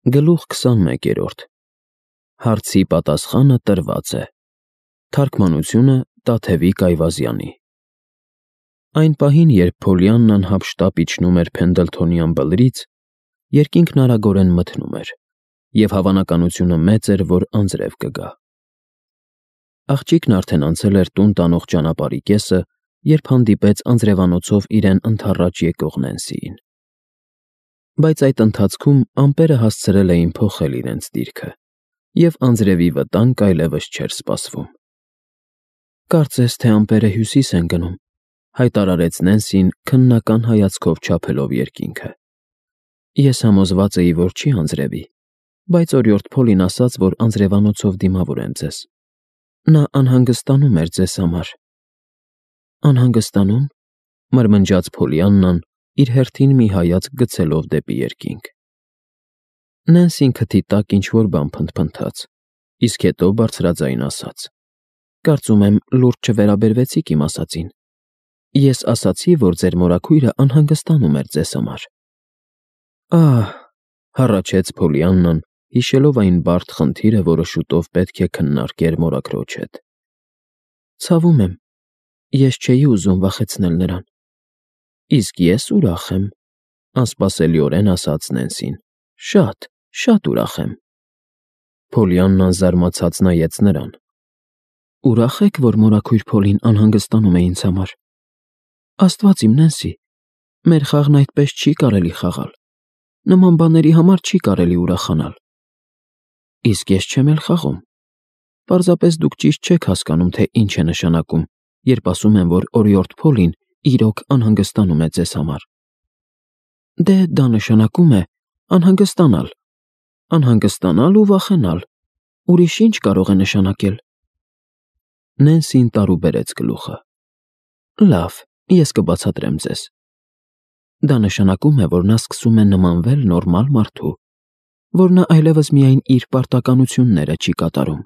Գլուխ 21. Հարցի պատասխանը տրված է։ Թարգմանությունը Տաթևիկ Այվազյանի։ Այն պահին, երբ Փոլիաննան հափշտապ իջնում էր Փենդլթոնյան բլրից, երկինքն արագորեն մթնում էր, և հավանականությունը մեծ էր, որ անձրև կգա։ Աղջիկն արդեն անցել էր տուն տանող ճանապարհի կեսը, երբ հանդիպեց անձրևանոցով իրեն ընդառաջ եկող Նենսիին։ Բայց այդ ընթացքում ամպերը հասցրել էին փոխել իրենց դիրքը, և անձրևի վտանգ այլևս չէր սպասվում։ «Կարծես թե ամպերը հյուսիս են գնում», հայտարարեց Նենսին քննական հայացքով չափելով երկինքը։ «Ես համոզված էի, որ չի անձրևի, բայց օրիորդ Փոլին ասաց, որ անձրևանոցով դիմավոր եմ ձեզ։ Նա անհանգստանում էր ձեզ համար»։ «Անհանգստանում», մրմնջաց Փոլիաննան, իր հերթին մի հայացք գցելով դեպի երկինք։ Նենսին քթի տակ ինչ-որ բան փնթփնթաց, իսկ հետո բարձրաձայն ասաց. «Կարծում եմ, լուրջ չվերաբերվեցիք իմ ասածին։ Ես ասացի, որ ձեր մորաքույրը անհանգստանում էր ձեզ համար»։ «Ահ», հառաչեց Փոլիաննան, հիշելով այն բարդ խնդիրը, որը շուտով պետք է քննարկեր մորաքրոջ հետ։ «Ցավում եմ, ես չէի ուզում վախեցնել նրան»։ «Իսկ ես ուրախ եմ», անսպասելիորեն ասաց Նենսին։ Շատ ուրախ եմ»։ Փոլիաննան զարմացած նայեց նրան։ «Ուրախ եք, որ մորաքույր Փոլին անհանգստանում է ինձ համար։ Աստված իմ, Նենսի, մեր խաղն այդպես չի կարելի խաղալ։ Նման բաների համար չի կարելի ուրախանալ»։ «Իսկ ես չեմ էլ խաղում։ Պարզապես դուք ճիշտ չեք հասկանում, թե ինչ է նշանակում, երբ ասում եմ, որ օրիորդ Փոլին իրոք անհանգստանում է ձեզ համար։ Դե դա նշանակում է անհանգստանալ ու վախենալ։ Ուրիշ ինչ կարող է նշանակել»։ Նենսին տարուբերեց գլուխը։ «Լավ, ես կբացատրեմ ձեզ։ Դա նշանակում է, որ նա սկսում է նմանվել նորմալ մարդու, որ նա այլևս միայն իր պարտականությունները չի կատարում»։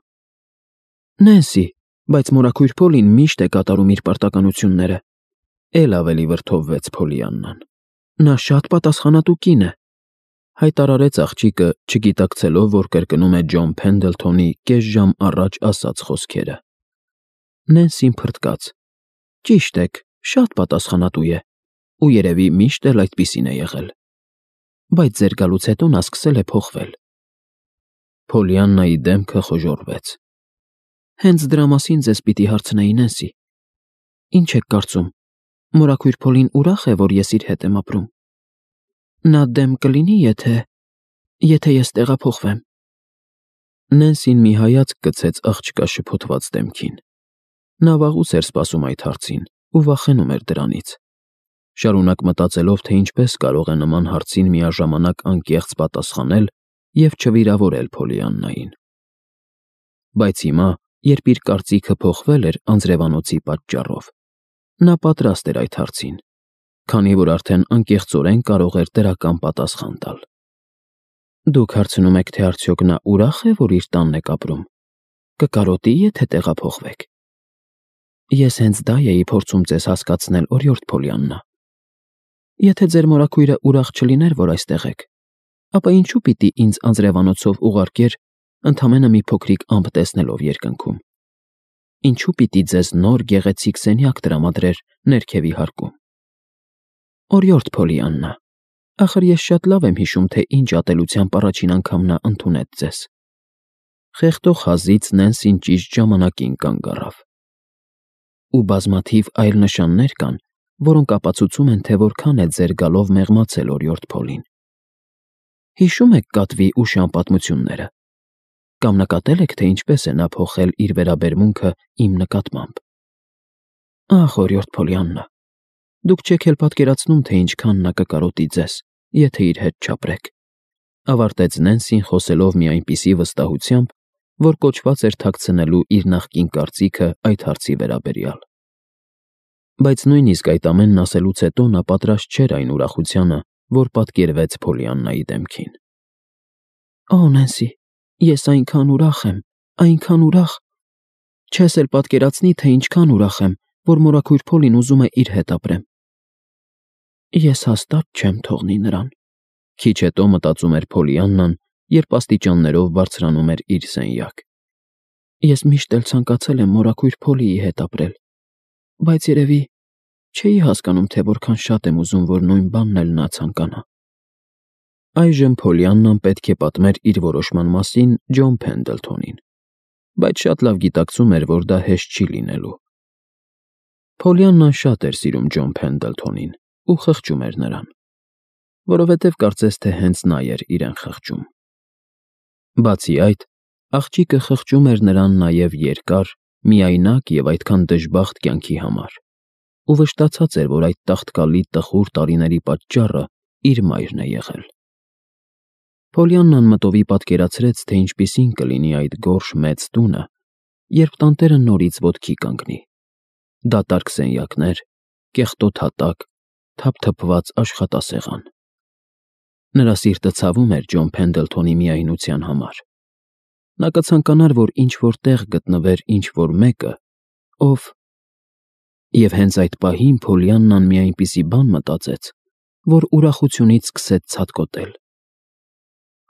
«Նենսի, բայց մորաքույր Փոլին միշտ է կատարում իր պարտականությունները», էլ ավելի վրդովվեց Փոլիաննան։ «Նա շատ պատասխանատու կին է», հայտարարեց աղջիկը, չգիտակցելով, որ կրկնում է Ջոն Փենդլթոնի կես ժամ առաջ ասած խոսքերը։ Նենսին փռթկաց։ «Ճիշտ եք, շատ պատասխանատու է, ու երևի միշտ էլ այդպիսին է եղել։ Բայց ձեր գալուց հետո նա սկսել է փոխվել»։ Փոլիաննայի դեմքը խոժոռվեց։ «Հենց դրա մասին ձեզ պիտի հարցնեի, Նենսի։ Ինչ եք կարծում, մորաքույր Փոլին ուրախ է, որ ես իր հետ եմ ապրում։ Նա դեմ կլինի, եթե ես տեղափոխվեմ»։ Նենսին մի հայացք գցեց աղջկա շփոթված դեմքին։ Նա վաղուց էր սպասում այդ հարցին ու վախենում էր դրանից, շարունակ մտածելով, թե ինչպես կարող է նման հարցին միաժամանակ անկեղծ պատասխանել և չվիրավորել Փոլիաննային։ Բայց հիմա, երբ իր կարծիքը փոխվել էր անձրևանոցի պատճառով, նա պատրաստ էր այդ հարցին, քանի որ արդեն անկեղծորեն կարող էր դրական պատասխան տալ։ «Դուք հարցնում եք, թե արդյոք նա ուրախ է, որ իր տանն եք ապրում։ Կկարոտի, եթե տեղափոխվեք։ Ես հենց դա էի փորձում ձեզ հասկացնել, օրիորդ Փոլիաննա։ Եթե ձեր մորաքույրը ուրախ չլիներ, որ այստեղ եք, ապա ինչու պիտի ինձ անձրևանոցով ուղարկեր ընդամենը մի փոքրիկ ամպ տեսնելով երկնքում։ Ինչու պիտի ձեզ նոր գեղեցիկ սենյակ տրամադրեր ներքևի հարկում։ Օրիորդ Փոլիաննա, ախր ես շատ լավ եմ հիշում, թե ինչ ատելությամբ առաջին անգամ նա ընդունեց ձեզ»։ Խեղդող հազից Նենսին ճիշտ ժամանակին կանգ առավ։ «Ու բազմաթիվ այլ նշաններ կան, որոնք ապացուցում են, թե որքան է ձեր գալով մեղմացել օրիորդ Փոլին։ Հիշում եք կատվի ու շան պատմությունները։ Կամ նկատել եք, թե ինչպես է նա փոխել իր վերաբերմունքը իմ նկատմամբ։ Ախ, օրիորդ Փոլիաննա, դուք չեք էլ պատկերացնում, թե ինչքան նա կկարոտի ձեզ, եթե իր հետ չապրեք», ավարտեց Նենսին, խոսելով մի այնպիսի վստահությամբ, որ կոչված էր թաքցնելու իր նախկին կարծիքը այդ հարցի վերաբերյալ։ Բայց նույնիսկ այդ ամենն ասելուց հետո նա պատրաստ չէր այն ուրախությանը, որ պատկերվեց Փոլիաննայի դեմքին։ «Օ, Նենսի, ես այնքան ուրախ եմ, այնքան ուրախ։ Չես էլ պատկերացնի, թե ինչքան ուրախ եմ, որ մորաքույր Փոլին ուզում է իր հետ ապրեմ։ Ես հաստատ չեմ թողնի նրան»։ Քիչ հետո մտածում էր Փոլիաննան, երբ աստիճաններով բարձրանում էր իր սենյակ։ Ես միշտ էլ ցանկացել եմ մորաքույր Փոլիի հետ ապրել, բայց երևի չէի հասկանում, թե որքան շատ եմ ուզում, որ նույն բանն էլ նա ցանկանա։ Այժմ Փոլիաննան պետք է պատմեր իր որոշման մասին Ջոն Փենդլթոնին, բայց շատ լավ գիտակցում էր, որ դա հեշտ չի լինելու։ Փոլիաննան շատ էր սիրում Ջոն Փենդլթոնին ու խղճում էր նրան, որովհետև կարծես թե հենց նա էր իրեն խղճում։ Բացի այդ, աղջիկը խղճում էր նրան նաև երկար, միայնակ և այդքան դժբախտ կյանքի համար, ու վշտացած էր, որ այդ տաղտկալի տխուր տարիների պատճառը իր մայրն է եղել։ Փոլիաննան մտովի պատկերացրեց, թե ինչպիսին կլինի այդ գորշ մեծ տունը, երբ տանտերը նորից ոտքի կանգնի։ Դատարկ սենյակներ, կեղտոտ հատակ, թափթփված աշխատասեղան։ Նրա սիրտը ցավում էր Ջոն Փենդլթոնի միայնության համար։ Նա կցանկանար, որ ինչ-որ տեղ գտնվեր ինչ-որ մեկը, ով… Եվ հենց այդ պահին Փոլիաննան մի այնպիսի բան մտածեց, որ ուրախությունից սկսեց ցատկոտել։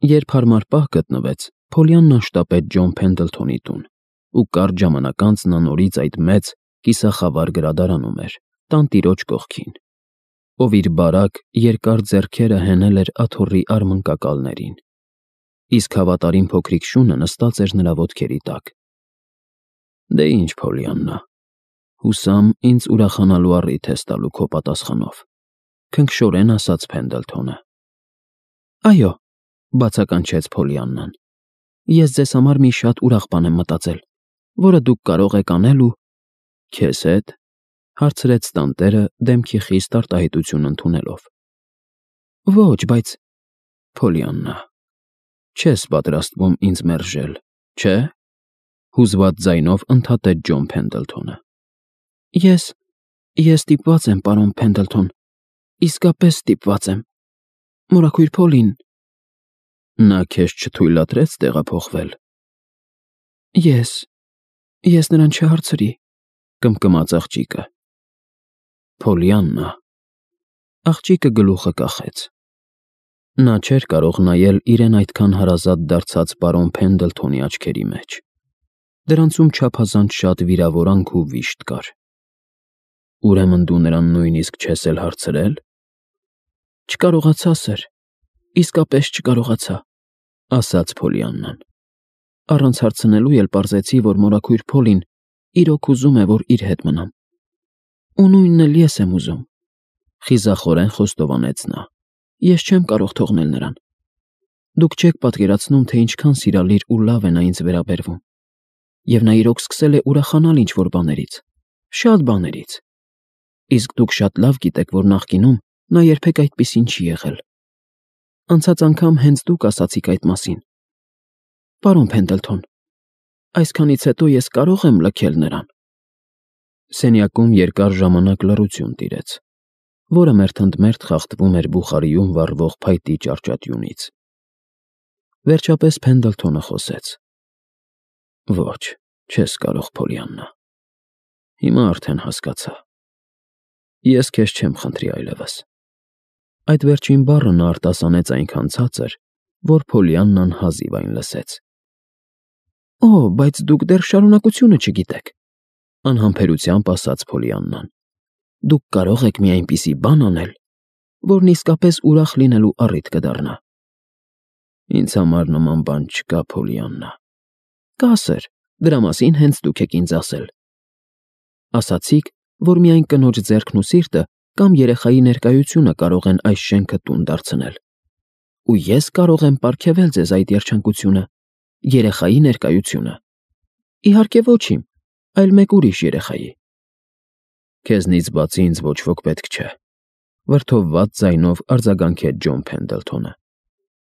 Երբ հարմար պահ գտնվեց, Փոլիաննան շտապեց Ջոն Փենդլթոնի տուն, ու կարճ ժամանակ անց նա նորից այդ մեծ, կիսախավար գրադարանում էր, տանտիրոջ կողքին, ով իր բարակ, երկար ձեռքերը հենել էր աթոռի արմնկակալներին, իսկ հավատարիմ փոքրիկ շունը նստած էր նրա ոտքերի տակ։ Դե ինչ, Փոլիաննա, հուսամ ինձ ուրախանալու առիթ ես տալու քո պատասխանով, քնքշորեն ասաց Փենդլթոնը։ Այո, բացականչեց Փոլիաննան, ես ձեզ համար մի շատ ուրախ բան եմ մտածել, որը դուք կարող եք անել ու… Քեզ հետ, հարցրեց տանտերը դեմքի խիստ արտահայտություն ընդունելով։ Ոչ, բայց… Փոլիաննա, չես պատրաստվում ինձ մերժել, չէ՞, հուզված ձայնով ընդհատեց Ջոն Փենդլթոնը։ Ես ստիպված եմ, պարոն Փենդլթոն, իսկապես ստիպված եմ։ Մորաքույր Փոլին… Նա քեզ չթույլատրեց տեղափոխվել։ Ես նրան չհարցրի, կմկմաց աղջիկը։ Փոլիաննա… Աղջիկը գլուխը կախեց։ Նա չէր կարող նայել իրեն այդքան հարազատ դարձած պարոն Փենդլթոնի աչքերի մեջ։ Դրանցում չափազանց շատ վիրավորանք ու վիշտ կար։ Ուրեմն դու նրան նույնիսկ չես էլ հարցրել։ Չկարողացա, սըր, իսկապես չկարողացա, ասաց Փոլիաննան։ Առանց հարցնելու էլ պարզեցի, որ մորաքույր Փոլին իրոք ուզում է, որ իր հետ մնամ։ Ու նույնն էլ ես եմ ուզում, խիզախորեն խոստովանեց նա։ Ես չեմ կարող թողնել նրան։ Դուք չեք պատկերացնում, թե ինչքան սիրալիր ու լավ է նա ինձ վերաբերվում։ Եվ նա իրոք սկսել է ուրախանալ ինչ-որ բաներից, շատ բաներից։ Իսկ դուք շատ լավ գիտեք, որ նախկինում նա երբեք այդպիսին չի եղել։ Անցած անգամ հենց դուք ասացիք այդ մասին։ Պարոն Փենդլթոն, այսքանից հետո ես կարող եմ լքել նրան։ Սենյակում երկար ժամանակ լռություն տիրեց, որը մերթընդմերթ խախտվում էր բուխարիում վառվող փայտի ճառճատյունից։ Վերջապես Փենդլթոնը խոսեց. Ոչ, չես կարող, Փոլիաննա։ Հիմա արդեն հասկացա։ Ես քեզ չեմ խնդրի այլևս։ Այդ վերջին բառը նա արտասանեց այնքան ցածր, որ Փոլիաննան հազիվ այն լսեց։ Օ, բայց դուք դեռ շարունակությունը չգիտեք, անհամբերությամբ ասաց Փոլիաննան։ Դուք կարող եք մի այնպիսի բան անել, որն իսկապես ուրախ լինելու առիթ կդառնա։ Ինձ համար նման բան չկա, Փոլիաննա։ Կա, սըր, դրա մասին հենց դուք եք ինձ ասել։ Ասացիք, որ միայն կնոջ ձեռքն ու սիրտը կամ երեխայի ներկայությունը կարող են այս շենքը տուն դարձնել։ Ու ես կարող եմ պարգևել ձեզ այդ երջանկությունը, երեխայի ներկայությունը։ Իհարկե ոչ իմ, այլ մեկ ուրիշ երեխայի։ Քեզնից բացի ինձ ոչ ոք պետք չէ, վրդովված ձայնով արձագանքեց Ջոն Փենդլթոնը։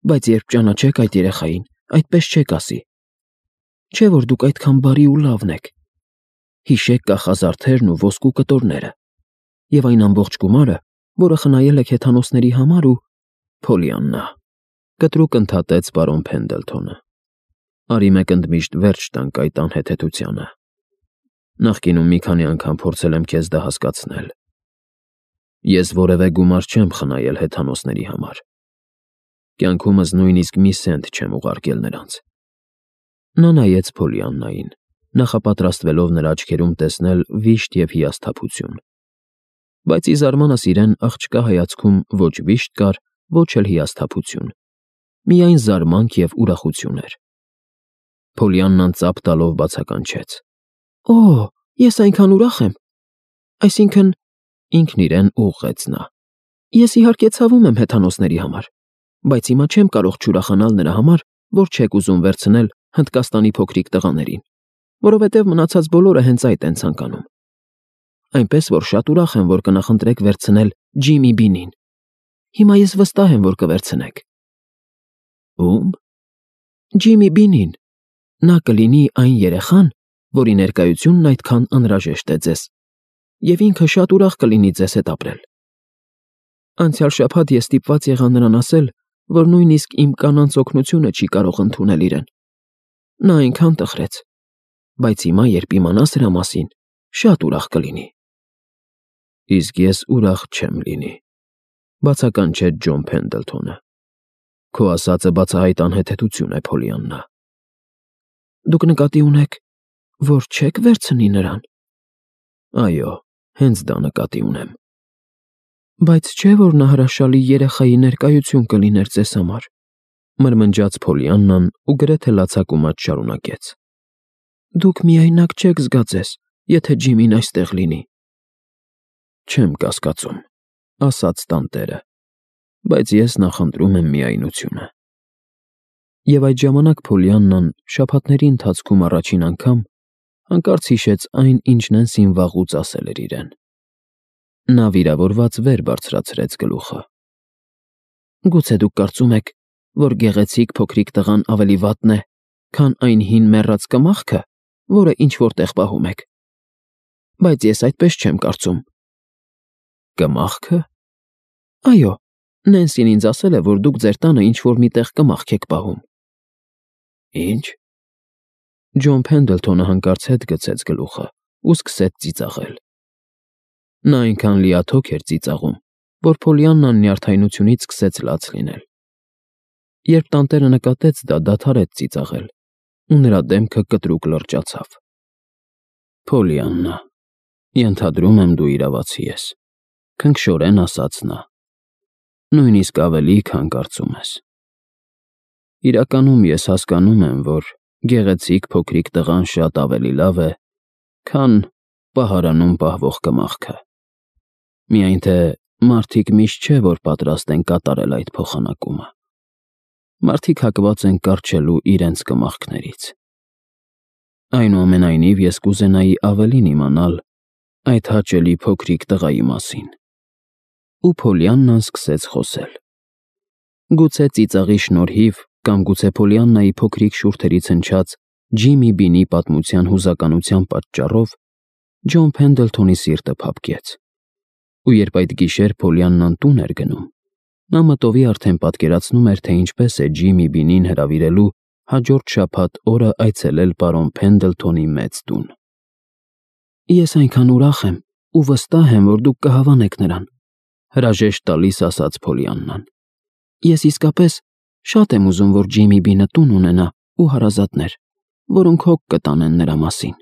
Բայց երբ ճանաչեք այդ երեխային, այդպես չեք ասի։ Չէ՞ որ դուք այդքան բարի ու լավն եք։ Հիշեք կախազարդերն ու ոսկու կտորները, և այն ամբողջ գումարը, որը խնայել եք հեթանոսների համար ու… Փոլիաննա, կտրուկ ընդհատեց պարոն Փենդլթոնը։ Արի մեկ ընդմիշտ վերջ տանք այդ անհեթեթությանը։ Նախկինում մի քանի անգամ փորձել եմ քեզ դա հասկացնել։ Ես որևէ գումար չեմ խնայել հեթանոսների համար։ Կյանքումս նույնիսկ մի սենտ չեմ ուղարկել նրանց։ Նա նայեց Փոլիաննային, նախապատրաստվելով նրա աչքերում տեսնել վիշտ և հիասթափություն։ Բայց ի զարմանս իրեն աղջկա հայացքում ոչ վիշտ կար, ոչ էլ հիասթափություն, միայն զարմանք և ուրախություն էր։ Փոլիաննան ծափ տալով բացականչեց. «Օ, ես այնքան ուրախ եմ, այսինքն…» ինքն իրեն ուղղեց նա։ «Ես իհարկե ցավում եմ հեթանոսների համար, բայց հիմա չեմ կարող չուրախանալ նրա համար, որ չեք ուզում վերցնել Հնդկաստանի փոքրիկ տղաներին, որովհետև մնացած բոլորը հենց այդ են ցանկանում։ Այնպես որ շատ ուրախ եմ, որ կնախընտրեք վերցնել Ջիմի Բինին։ Հիմա ես վստահ եմ, որ կվերցնեք»։ Ո՞ւմ։ Ջիմի Բինին։ Նա կլինի այն երեխան, որի ներկայությունն այդքան անհրաժեշտ է ձեզ, և ինքը շատ ուրախ կլինի ձեզ հետ ապրել։ Անցյալ շաբաթ ես ստիպված եղա նրան ասել, որ նույնիսկ իմ կանանց օգնությունը չի կարող ընդունել իրեն։ Նա այնքան տխրեց, բայց հիմա, երբ իմանա սրա մասին, շատ ուրախ կլինի։ Իսկ ես ուրախ չեմ լինի, բացականչեց Ջոն Փենդլթոնը։ Քո ասածը բացահայտ անհեթեթություն է, Փոլիաննա։ Դուք նկատի ունեք, որ չեք վերցնի նրան։ Այո, հենց դա նկատի ունեմ։ Բայց չէ՞ որ նա հրաշալի երեխայի ներկայություն կլիներ ձեզ համար, մրմնջաց Փոլիաննան ու գրեթե լացակումած շարունակեց։ Դուք միայնակ չեք զգա ձեզ, եթե Ջիմին այստեղ լինի։ Չեմ կասկածում, ասաց տանտերը, բայց ես նախընտրում եմ միայնությունը։ Եվ այդ ժամանակ Փոլիաննան շաբաթների ընթացքում առաջին անգամ հանկարծ հիշեց այն, ինչ Նենսին վաղուց ասել էր իրեն։ Նա վիրավորված վեր բարձրացրեց գլուխը։ Գուցե դուք կարծում եք, որ գեղեցիկ փոքրիկ տղան ավելի վատն է, քան այն հին մեռած կմախքը, որը ինչ-որ տեղ պահում եք։ Բայց ես այդպես չեմ կարծում։ Կմախքը։ Այո, Նենսին ինձ ասել է, որ դուք ձեր տանը ինչ-որ մի տեղ կմախք եք պահում։ Ինչ։ Ջոն Փենդլթոնը հանկարծ հետ գցեց գլուխը ու սկսեց ծիծաղել։ Նա այնքան լիաթոք էր ծիծաղում, որ Փոլիաննան նյարդայնությունից սկսեց լաց լինել։ Երբ տանտերը նկատեց դա, դադարեց ծիծաղել, ու նրա դեմքը կտրուկ լրջացավ։ Փոլիաննա, ենթադրում եմ դու իրավացի ես, քնքշորեն ասաց նա։ Նույնիսկ ավելի, քան կարծում ես։ Իրականում ես հասկանում եմ, որ գեղեցիկ փոքրիկ տղան շատ ավելի լավ է, քան պահարանում պահվող կմախքը։ Միայն թե մարդիկ միշտ չէ, որ պատրաստ են կատարել այդ փոխանակումը։ Մարդիկ հակված են կառչելու իրենց կմախքներից։ Այնուամենայնիվ ես կուզենայի ավելին իմանալ այդ հաճելի փոքրիկ տղայի մասին։ Ու Փոլիաննան սկսեց խոսել։ Գուցե ծիծաղի շնորհիվ կամ գուցե Փոլիաննայի փոքրիկ շուրթերից հնչած Ջիմի Բինի պատմության հուզականության պատճառով Ջոն Փենդլթոնի սիրտը փափկեց։ Ու երբ այդ գիշեր Փոլիաննան տուն էր գնում, նա մտովի արդեն պատկերացնում էր, թե ինչպես է Ջիմի Բինին հրավիրելու հաջորդ շաբաթ օրը այցելել պարոն Փենդլթոնի մեծ տուն։ Ես այնքան ուրախ եմ ու վստահ եմ, որ դուք կհավանեք նրան, հրաժեշտ տալիս ասաց Փոլիաննան։ Ես իսկապես շատ եմ ուզում, որ Ջիմի Բինը տուն ունենա ու հարազատներ, որոնք հոգ կտանեն նրա մասին։